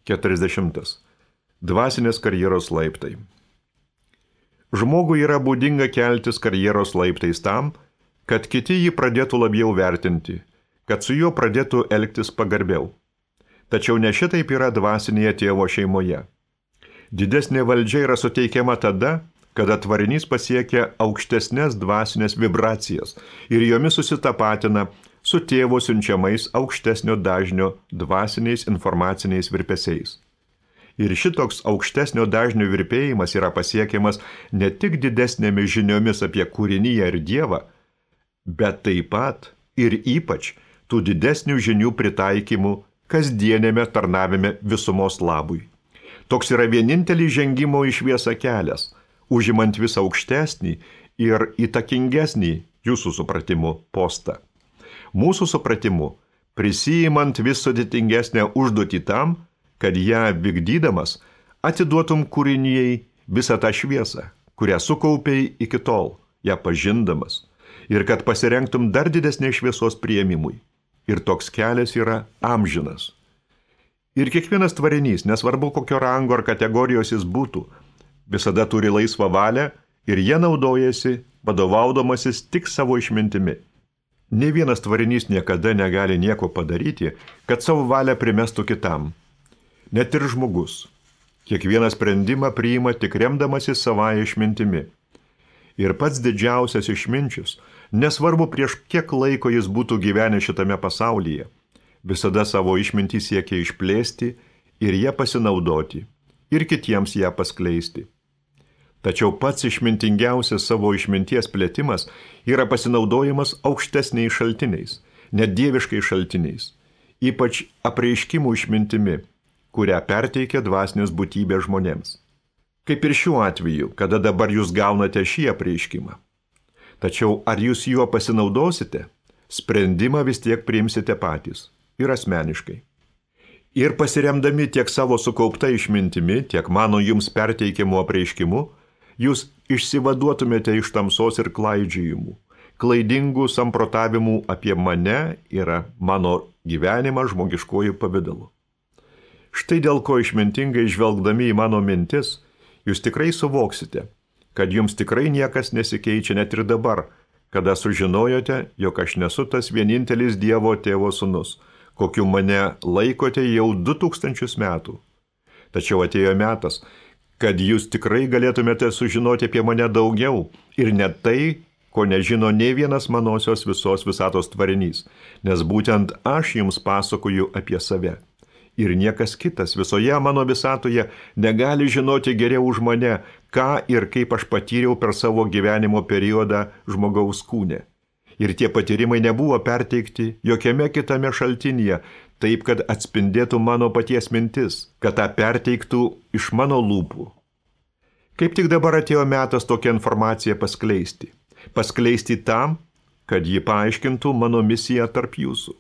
40. Dvasinės karjeros laiptai. Žmogui yra būdinga keltis karjeros laiptais tam, kad kiti jį pradėtų labiau vertinti, kad su juo pradėtų elgtis pagarbiau. Tačiau ne šitaip yra dvasinėje tėvo šeimoje. Didesnė valdžia yra suteikiama tada, kada tvarinys pasiekia aukštesnės dvasinės vibracijas ir jomis susitapatina su tėvo siunčiamais aukštesnio dažnio dvasiniais informaciniais virpesiais. Ir šitoks aukštesnio dažnio virpėjimas yra pasiekiamas ne tik didesnėmis žiniomis apie kūriniją ir Dievą, bet taip pat ir ypač tų didesnių žinių pritaikymų kasdienėme tarnavime visumos labui. Toks yra vienintelis žengimo į šviesą kelias, užimant vis aukštesnį ir įtakingesnį jūsų supratimu postą. Mūsų supratimu, prisijimant vis sudėtingesnę užduotį tam, kad ją vykdydamas atiduotum kūrinijai visą tą šviesą, kurią sukaupiai iki tol, ją pažindamas, ir kad pasirengtum dar didesnės šviesos priėmimui. Ir toks kelias yra amžinas. Ir kiekvienas tvarinys, nesvarbu kokio rango ar kategorijos jis būtų, visada turi laisvą valią ir jie naudojasi, vadovaudamasis tik savo išmintimi. Nė vienas tvarinys niekada negali nieko padaryti, kad savo valią primestų kitam. Net ir žmogus. Kiekvieną sprendimą priima tik remdamasi savąją išmintimi. Ir pats didžiausias išminčius, nesvarbu prieš kiek laiko jis būtų gyvenęs šitame pasaulyje, visada savo išmintį siekia išplėsti ir ją pasinaudoti, ir kitiems ją paskleisti. Tačiau pats išmintingiausias savo išminties plėtimas yra pasinaudojimas aukštesniais šaltiniais, net dieviškais šaltiniais, ypač apreiškimų išmintimi, kurią perteikia dvasinės būtybės žmonėms. Kaip ir šiuo atveju, kada dabar jūs gaunate šį apreiškimą. Tačiau ar jūs juo pasinaudosite, sprendimą vis tiek priimsite patys ir asmeniškai. Ir pasiremdami tiek savo sukaupta išmintimi, tiek mano jums perteikiamu apreiškimu, jūs išsivaduotumėte iš tamsos ir klaidžiojimų, klaidingų samprotavimų apie mane ir mano gyvenimą žmogiškojų pavidalu. Štai dėl ko išmintingai žvelgdami į mano mintis, jūs tikrai suvoksite, kad jums tikrai niekas nesikeičia net ir dabar, kada sužinojote, jog aš nesu tas vienintelis Dievo tėvo sūnus, kokiu mane laikote jau 2000 metų. Tačiau atėjo metas, kad jūs tikrai galėtumėte sužinoti apie mane daugiau ir net tai, ko nežino nei vienas manosios visos visatos tvarinys, nes būtent aš jums pasakoju apie save. Ir niekas kitas visoje mano visatoje negali žinoti geriau už mane, ką ir kaip aš patyriau per savo gyvenimo periodą žmogaus kūne. Ir tie patyrimai nebuvo perteikti jokiame kitame šaltinyje, taip, kad atspindėtų mano paties mintis, kad tą perteiktų iš mano lūpų. Kaip tik dabar atėjo metas tokią informaciją paskleisti. Paskleisti tam, kad ji paaiškintų mano misiją tarp jūsų.